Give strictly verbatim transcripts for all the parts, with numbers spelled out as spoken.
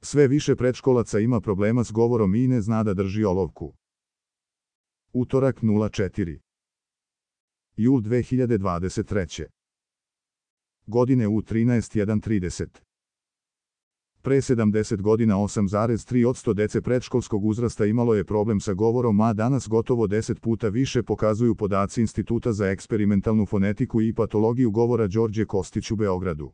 Sve više predškolaca ima problema s govorom i ne zna da drži olovku. Utorak nula četiri. jul dve hiljade dvadeset treće. Godine u trinaest jedan trideset. Pre sedamdeset godina osam zarez tri posto dece predškolskog uzrasta imalo je problem sa govorom, a danas gotovo deset puta više, pokazuju podaci Instituta za eksperimentalnu fonetiku i patologiju govora Đorđe Kostić u Beogradu.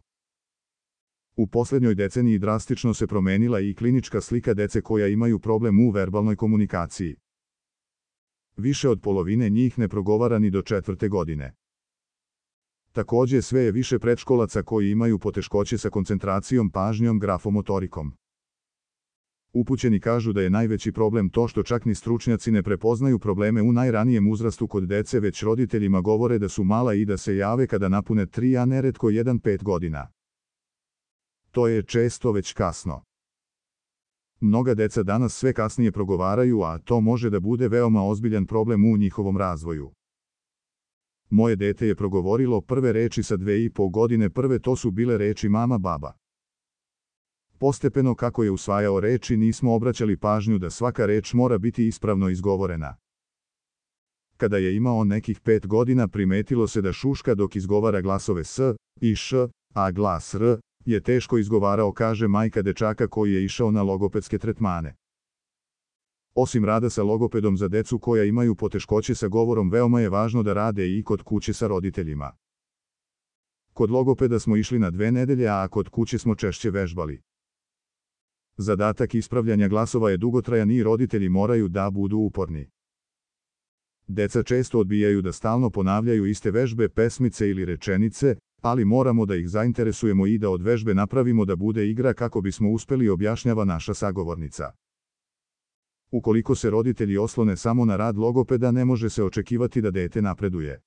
U poslednjoj deceniji drastično se promenila i klinička slika dece koja imaju problem u verbalnoj komunikaciji. Više od polovine njih ne progovara ni do četvrte godine. Takođe, sve je više predškolaca koji imaju poteškoće sa koncentracijom, pažnjom, grafomotorikom. Upućeni kažu da je najveći problem to što čak ni stručnjaci ne prepoznaju probleme u najranijem uzrastu kod dece, već roditeljima govore da su mala i da se jave kada napune tri, a neretko jedan pet godina. To je često već kasno. Mnoga deca danas sve kasnije progovaraju, a to može da bude veoma ozbiljan problem u njihovom razvoju. Moje dete je progovorilo prve reči sa dve i po godine, prve to su bile reči mama, baba. Postepeno kako je usvajao reči, nismo obraćali pažnju da svaka reč mora biti ispravno izgovorena. Kada je imao nekih pet godina, primetilo se da šuška dok izgovara glasove s i š, a glas r je teško izgovarao, kaže majka dečaka koji je išao na logopedske tretmane. Osim rada sa logopedom za decu koja imaju poteškoće sa govorom, veoma je važno da rade i kod kuće sa roditeljima. Kod logopeda smo išli na dve nedelje, a kod kuće smo češće vežbali. Zadatak ispravljanja glasova je dugotrajan i roditelji moraju da budu uporni. Deca često odbijaju da stalno ponavljaju iste vežbe, pesmice ili rečenice, ali moramo da ih zainteresujemo i da od vežbe napravimo da bude igra kako bismo uspeli, objašnjava naša sagovornica. Ukoliko se roditelji oslone samo na rad logopeda, ne može se očekivati da dete napreduje.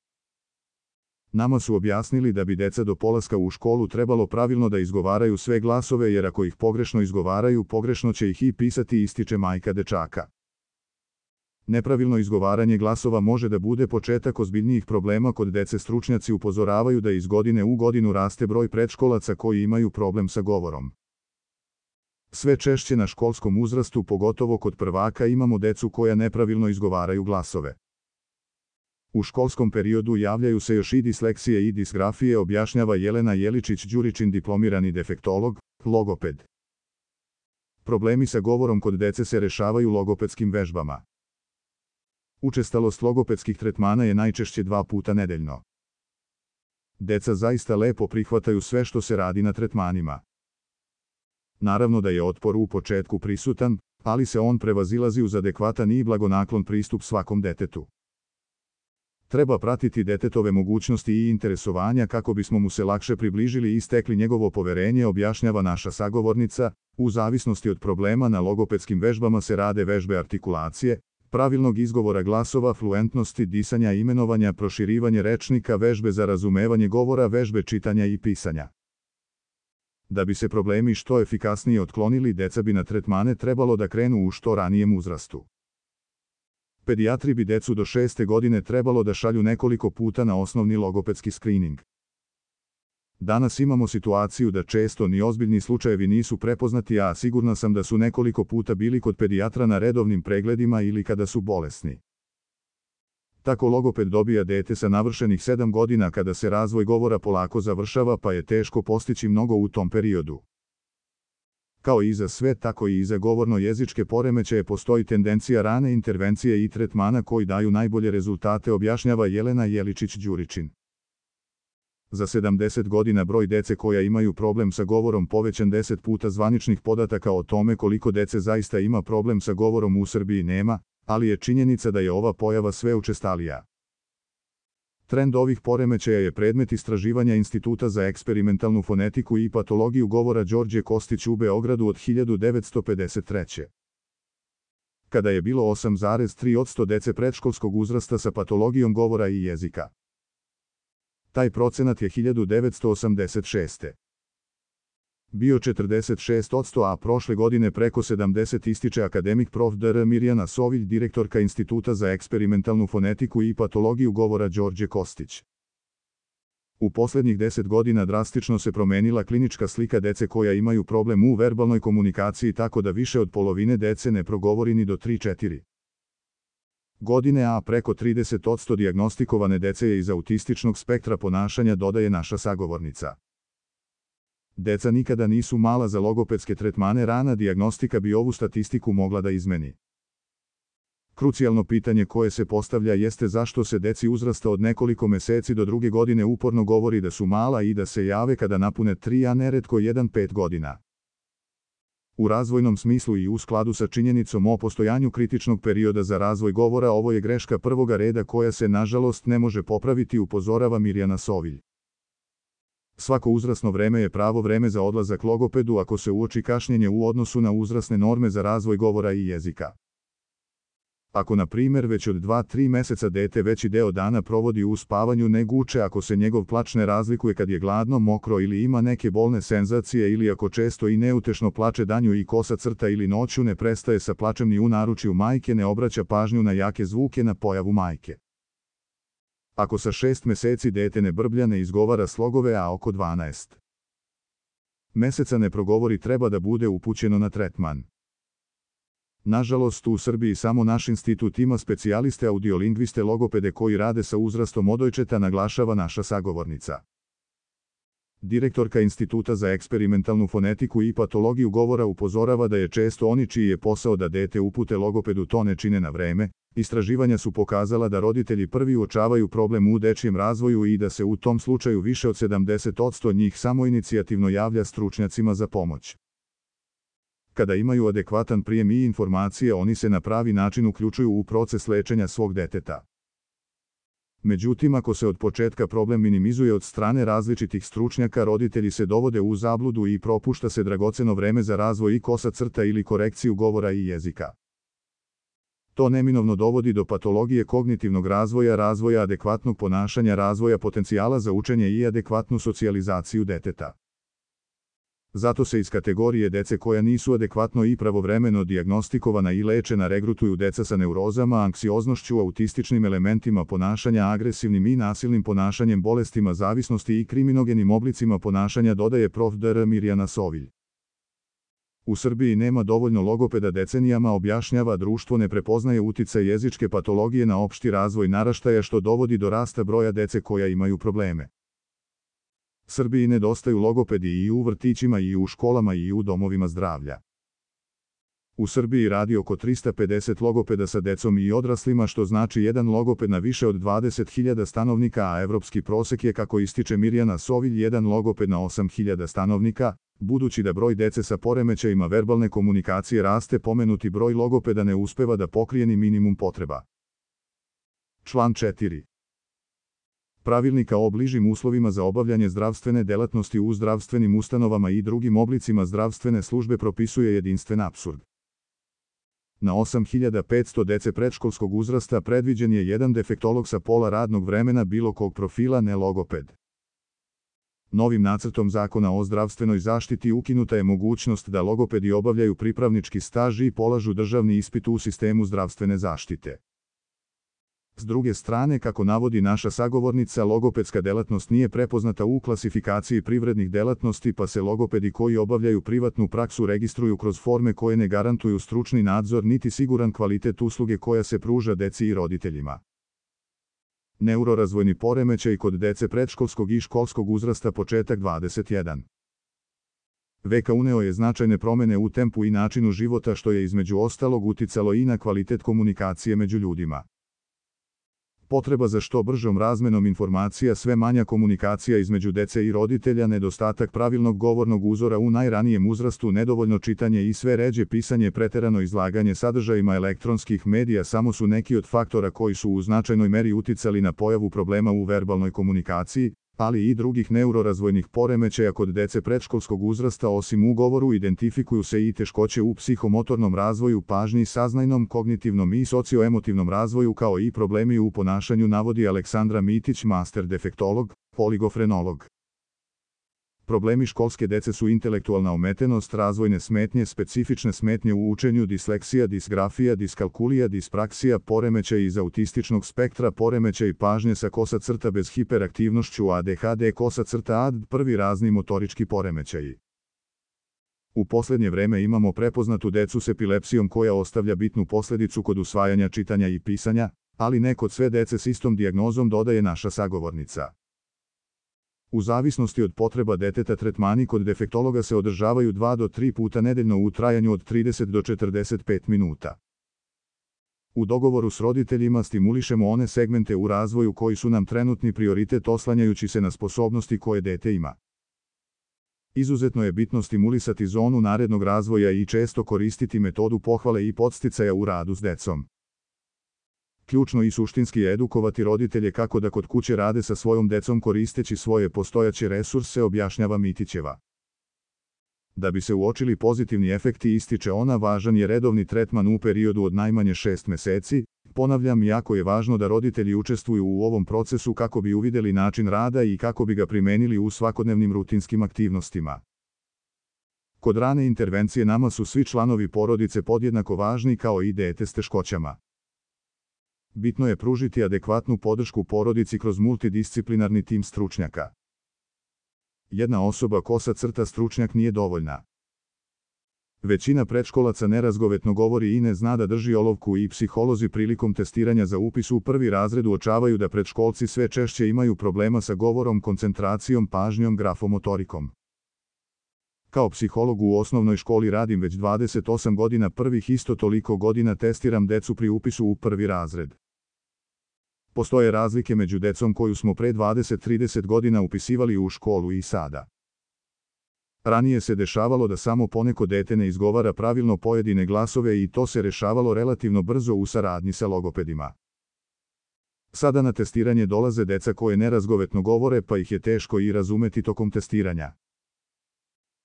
Nama su objasnili da bi deca do polaska u školu trebalo pravilno da izgovaraju sve glasove, jer ako ih pogrešno izgovaraju, pogrešno će ih i pisati, ističe majka dečaka. Nepravilno izgovaranje glasova može da bude početak ozbiljnijih problema kod dece. Stručnjaci upozoravaju da iz godine u godinu raste broj predškolaca koji imaju problem sa govorom. Sve češće na školskom uzrastu, pogotovo kod prvaka, imamo decu koja nepravilno izgovaraju glasove. U školskom periodu javljaju se još i disleksije i disgrafije, objašnjava Jelena Jeličić-Đuričin, diplomirani defektolog, logoped. Problemi sa govorom kod dece se rešavaju logopedskim vežbama. Učestalost logopedskih tretmana je najčešće dva puta nedeljno. Deca zaista lepo prihvataju sve što se radi na tretmanima. Naravno da je otpor u početku prisutan, ali se on prevazilazi uz adekvatan i blagonaklon pristup svakom detetu. Treba pratiti detetove mogućnosti i interesovanja kako bismo mu se lakše približili i stekli njegovo poverenje, objašnjava naša sagovornica. U zavisnosti od problema na logopedskim vežbama se rade vežbe artikulacije, pravilnog izgovora glasova, fluentnosti, disanja, imenovanja, proširivanje rečnika, vežbe za razumevanje govora, vežbe čitanja i pisanja. Da bi se problemi što efikasnije otklonili, deca bi na tretmane trebalo da krenu u što ranijem uzrastu. Pedijatri bi decu do šeste godine trebalo da šalju nekoliko puta na osnovni logopedski skrining. Danas imamo situaciju da često ni ozbiljni slučajevi nisu prepoznati, a sigurna sam da su nekoliko puta bili kod pedijatra na redovnim pregledima ili kada su bolesni. Tako logoped dobija dete sa navršenih sedam godina kada se razvoj govora polako završava, pa je teško postići mnogo u tom periodu. Kao i za sve, tako i za govorno-jezičke poremećaje postoji tendencija rane intervencije i tretmana koji daju najbolje rezultate, objašnjava Jelena Jeličić-Đuričin. Za sedamdeset godina broj dece koja imaju problem sa govorom povećan deset puta. Zvaničnih podataka o tome koliko dece zaista ima problem sa govorom u Srbiji nema, ali je činjenica da je ova pojava sve učestalija. Trend ovih poremećaja je predmet istraživanja Instituta za eksperimentalnu fonetiku i patologiju govora Đorđe Kostić u Beogradu od hiljadu devetsto pedeset treće. kada je bilo osam zarez tri posto dece predškolskog uzrasta sa patologijom govora i jezika. Taj procenat je hiljadu devetsto osamdeset šeste. bio četrdeset šest posto, a prošle godine preko sedamdeset, ističe akademik prof. dr Mirjana Sovilj, direktorka Instituta za eksperimentalnu fonetiku i patologiju govora Đorđe Kostić. U posljednjih deset godina drastično se promenila klinička slika dece koja imaju problem u verbalnoj komunikaciji tako da više od polovine dece ne progovori ni do tri četiri godine, a preko trideset posto dijagnostikovane dece je iz autističnog spektra ponašanja, dodaje naša sagovornica. Deca nikada nisu mala za logopedske tretmane, rana dijagnostika bi ovu statistiku mogla da izmeni. Krucijalno pitanje koje se postavlja jeste zašto se deci uzrasta od nekoliko meseci do druge godine uporno govori da su mala i da se jave kada napune tri, a neretko jedan pet godina. U razvojnom smislu i u skladu sa činjenicom o postojanju kritičnog perioda za razvoj govora, ovo je greška prvoga reda koja se nažalost ne može popraviti, upozorava Mirjana Sovilj. Svako uzrasno vreme je pravo vreme za odlazak logopedu ako se uoči kašnjenje u odnosu na uzrasne norme za razvoj govora i jezika. Ako, na primjer, već od dva do tri meseca dete veći deo dana provodi u spavanju, ne guče, ako se njegov plač ne razlikuje kad je gladno, mokro ili ima neke bolne senzacije, ili ako često i neutešno plače danju i kosa crta ili noću ne prestaje sa plačem ni u naručju majke, ne obraća pažnju na jake zvuke, na pojavu majke. Ako sa šest meseci dete ne brblja, ne izgovara slogove, a oko dvanaest meseca ne progovori, treba da bude upućeno na tretman. Nažalost, u Srbiji samo naš institut ima specijaliste audiolingviste logopede koji rade sa uzrastom od dojčeta, naglašava naša sagovornica. Direktorka Instituta za eksperimentalnu fonetiku i patologiju govora upozorava da je često oni čiji je posao da dete upute logopedu to ne čine na vreme. Istraživanja su pokazala da roditelji prvi uočavaju problem u dečijem razvoju i da se u tom slučaju više od sedamdeset posto njih samoinicijativno javlja stručnjacima za pomoć. Kada imaju adekvatan prijem i informacije, oni se na pravi način uključuju u proces lečenja svog deteta. Međutim, ako se od početka problem minimizuje od strane različitih stručnjaka, roditelji se dovode u zabludu i propušta se dragoceno vreme za razvoj i kosa crta ili korekciju govora i jezika. To neminovno dovodi do patologije kognitivnog razvoja, razvoja adekvatnog ponašanja, razvoja potencijala za učenje i adekvatnu socijalizaciju deteta. Zato se iz kategorije dece koja nisu adekvatno i pravovremeno dijagnostikovana i lečena regrutuju deca sa neurozama, anksioznošću, autističnim elementima ponašanja, agresivnim i nasilnim ponašanjem, bolestima zavisnosti i kriminogenim oblicima ponašanja, dodaje prof dr Mirjana Sovilj. U Srbiji nema dovoljno logopeda decenijama, objašnjava, društvo ne prepoznaje uticaj jezičke patologije na opšti razvoj naraštaja, što dovodi do rasta broja dece koja imaju probleme. Srbiji nedostaju logopedi i u vrtićima i u školama i u domovima zdravlja. U Srbiji radi oko trista pedeset logopeda sa decom i odraslima, što znači jedan logoped na više od dvadeset hiljada stanovnika, a evropski prosek je, kako ističe Mirjana Sovilj, jedan logoped na osam hiljada stanovnika. Budući da broj dece sa poremećajima verbalne komunikacije raste, pomenuti broj logopeda ne uspeva da pokrije ni minimum potreba. Član četiri. Pravilnika o bližim uslovima za obavljanje zdravstvene delatnosti u zdravstvenim ustanovama i drugim oblicima zdravstvene službe propisuje jedinstven apsurd. Na osam hiljada petsto dece predškolskog uzrasta predviđen je jedan defektolog sa pola radnog vremena bilo kog profila, ne logoped. Novim nacrtom zakona o zdravstvenoj zaštiti ukinuta je mogućnost da logopedi obavljaju pripravnički staž i polažu državni ispit u sistemu zdravstvene zaštite. S druge strane, kako navodi naša sagovornica, logopedska delatnost nije prepoznata u klasifikaciji privrednih delatnosti, pa se logopedi koji obavljaju privatnu praksu registruju kroz forme koje ne garantuju stručni nadzor niti siguran kvalitet usluge koja se pruža deci i roditeljima. Neurorazvojni poremećaj kod dece predškolskog i školskog uzrasta, početak dvadeset jedan. veka uneo je značajne promene u tempu i načinu života, što je između ostalog uticalo i na kvalitet komunikacije među ljudima. Potreba za što bržom razmenom informacija, sve manja komunikacija između dece i roditelja, nedostatak pravilnog govornog uzora u najranijem uzrastu, nedovoljno čitanje i sve ređe pisanje, preterano izlaganje sadržajima elektronskih medija samo su neki od faktora koji su u značajnoj meri uticali na pojavu problema u verbalnoj komunikaciji, ali i drugih neurorazvojnih poremećaja kod dece predškolskog uzrasta. Osim u govoru, identifikuju se i teškoće u psihomotornom razvoju, pažnji, saznajnom, kognitivnom i socioemotivnom razvoju, kao i problemi u ponašanju, navodi Aleksandra Mitić, master defektolog, poligofrenolog. Problemi školske dece su intelektualna ometenost, razvojne smetnje, specifične smetnje u učenju, disleksija, disgrafija, diskalkulija, dispraksija, poremećaj iz autističnog spektra, poremećaj pažnje sa kosa crta bez hiperaktivnošću, A D H D kosa crta A D, prvi razni motorički poremećaji. U posljednje vreme imamo prepoznatu decu s epilepsijom koja ostavlja bitnu posljedicu kod usvajanja čitanja i pisanja, ali ne kod sve dece s istom dijagnozom, dodaje naša sagovornica. U zavisnosti od potreba deteta tretmani kod defektologa se održavaju dva do tri puta nedeljno u trajanju od trideset do četrdeset pet minuta. U dogovoru s roditeljima stimulišemo one segmente u razvoju koji su nam trenutni prioritet oslanjajući se na sposobnosti koje dete ima. Izuzetno je bitno stimulisati zonu narednog razvoja i često koristiti metodu pohvale i podsticaja u radu s decom. Ključno i suštinski je edukovati roditelje kako da kod kuće rade sa svojom decom koristeći svoje postojaće resurse, objašnjava Mitićeva. Da bi se uočili pozitivni efekti, ističe ona, važan je redovni tretman u periodu od najmanje šest meseci. Ponavljam, jako je važno da roditelji učestvuju u ovom procesu kako bi uvidjeli način rada i kako bi ga primenili u svakodnevnim rutinskim aktivnostima. Kod rane intervencije nama su svi članovi porodice podjednako važni kao i dete s teškoćama. Bitno je pružiti adekvatnu podršku porodici kroz multidisciplinarni tim stručnjaka. Jedna osoba kosa crta stručnjak nije dovoljna. Većina predškolaca nerazgovetno govori i ne zna da drži olovku i psiholozi prilikom testiranja za upis u prvi razred uočavaju da predškolci sve češće imaju problema sa govorom, koncentracijom, pažnjom, grafomotorikom. Kao psiholog u osnovnoj školi radim već dvadeset osam godina, prvih isto toliko godina testiram decu pri upisu u prvi razred. Postoje razlike među decom koju smo pre dvadeset do trideset godina upisivali u školu i sada. Ranije se dešavalo da samo poneko dete ne izgovara pravilno pojedine glasove i to se rešavalo relativno brzo u saradnji sa logopedima. Sada na testiranje dolaze deca koje nerazgovetno govore, pa ih je teško i razumeti tokom testiranja.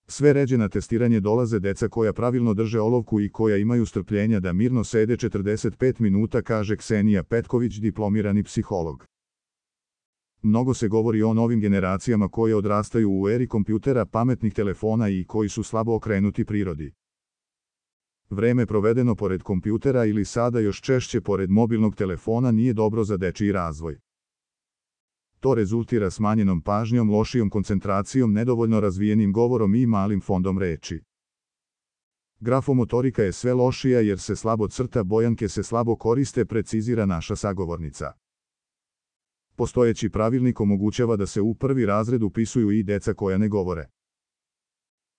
Sve ređe na testiranje dolaze deca koja pravilno drže olovku i koja imaju strpljenja da mirno sede četrdeset pet minuta, kaže Ksenija Petković, diplomirani psiholog. Mnogo se govori o novim generacijama koje odrastaju u eri kompjutera, pametnih telefona i koji su slabo okrenuti prirodi. Vreme provedeno pored kompjutera ili sada još češće pored mobilnog telefona nije dobro za dečiji razvoj. To rezultira smanjenom pažnjom, lošijom koncentracijom, nedovoljno razvijenim govorom i malim fondom reči. Grafomotorika je sve lošija jer se slabo crta, bojanke se slabo koriste, precizira naša sagovornica. Postojeći pravilnik omogućava da se u prvi razred upisuju i deca koja ne govore.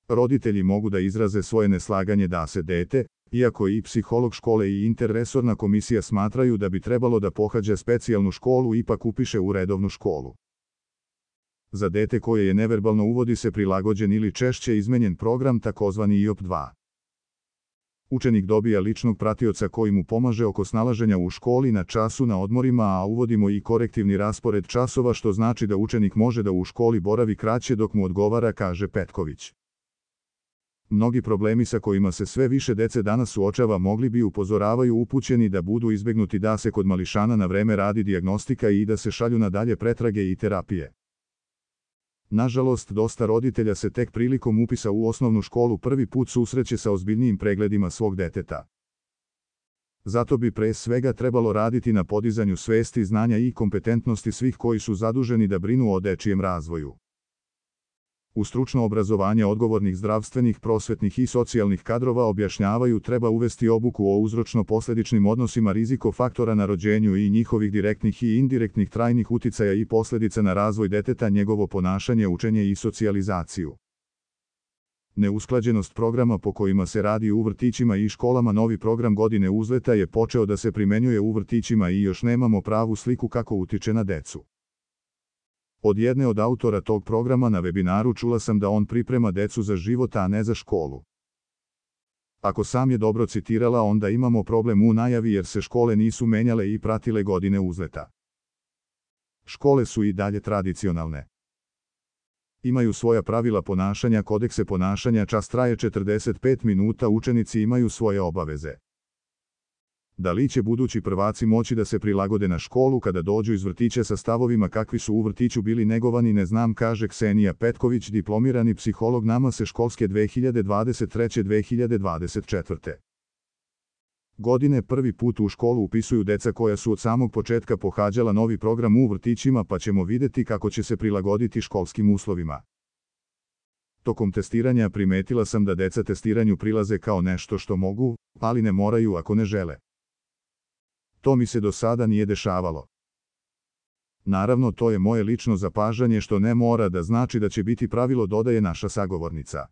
Roditelji mogu da izraze svoje neslaganje da se dete, iako i psiholog škole i interresorna komisija smatraju da bi trebalo da pohađa specijalnu školu, ipak upiše u redovnu školu. Za dete koje je neverbalno uvodi se prilagođen ili češće izmenjen program, takozvani I O P dva. Učenik dobija ličnog pratioca koji mu pomaže oko snalaženja u školi, na času, na odmorima, a uvodimo i korektivni raspored časova, što znači da učenik može da u školi boravi kraće dok mu odgovara, kaže Petković. Mnogi problemi sa kojima se sve više dece danas suočava mogli bi, upozoravaju upućeni, da budu izbegnuti da se kod mališana na vreme radi dijagnostika i da se šalju na dalje pretrage i terapije. Nažalost, dosta roditelja se tek prilikom upisa u osnovnu školu prvi put susreće sa ozbiljnijim pregledima svog deteta. Zato bi pre svega trebalo raditi na podizanju svesti, znanja i kompetentnosti svih koji su zaduženi da brinu o dečijem razvoju. U stručno obrazovanje odgovornih zdravstvenih, prosvetnih i socijalnih kadrova, objašnjavaju, treba uvesti obuku o uzročno-posledičnim odnosima rizikofaktora na rođenju i njihovih direktnih i indirektnih trajnih uticaja i posljedica na razvoj deteta, njegovo ponašanje, učenje i socijalizaciju. Neusklađenost programa po kojima se radi u vrtićima i školama. Novi program godine uzleta je počeo da se primenjuje u vrtićima i još nemamo pravu sliku kako utiče na decu. Od jedne od autora tog programa na webinaru čula sam da on priprema decu za život, a ne za školu. Ako sam je dobro citirala, onda imamo problem u najavi jer se škole nisu menjale i pratile godine uzleta. Škole su i dalje tradicionalne. Imaju svoja pravila ponašanja, kodekse ponašanja, čas traje četrdeset pet minuta, učenici imaju svoje obaveze. Da li će budući prvaci moći da se prilagode na školu kada dođu iz vrtića sa stavovima kakvi su u vrtiću bili negovani, ne znam, kaže Ksenija Petković, diplomirani psiholog. Nama se školske dve hiljade dvadeset treće dve hiljade dvadeset četvrte. godine prvi put u školu upisuju deca koja su od samog početka pohađala novi program u vrtićima, pa ćemo videti kako će se prilagoditi školskim uslovima. Tokom testiranja primetila sam da deca testiranju prilaze kao nešto što mogu, ali ne moraju ako ne žele. To mi se do sada nije dešavalo. Naravno, to je moje lično zapažanje, što ne mora da znači da će biti pravilo, dodaje naša sagovornica.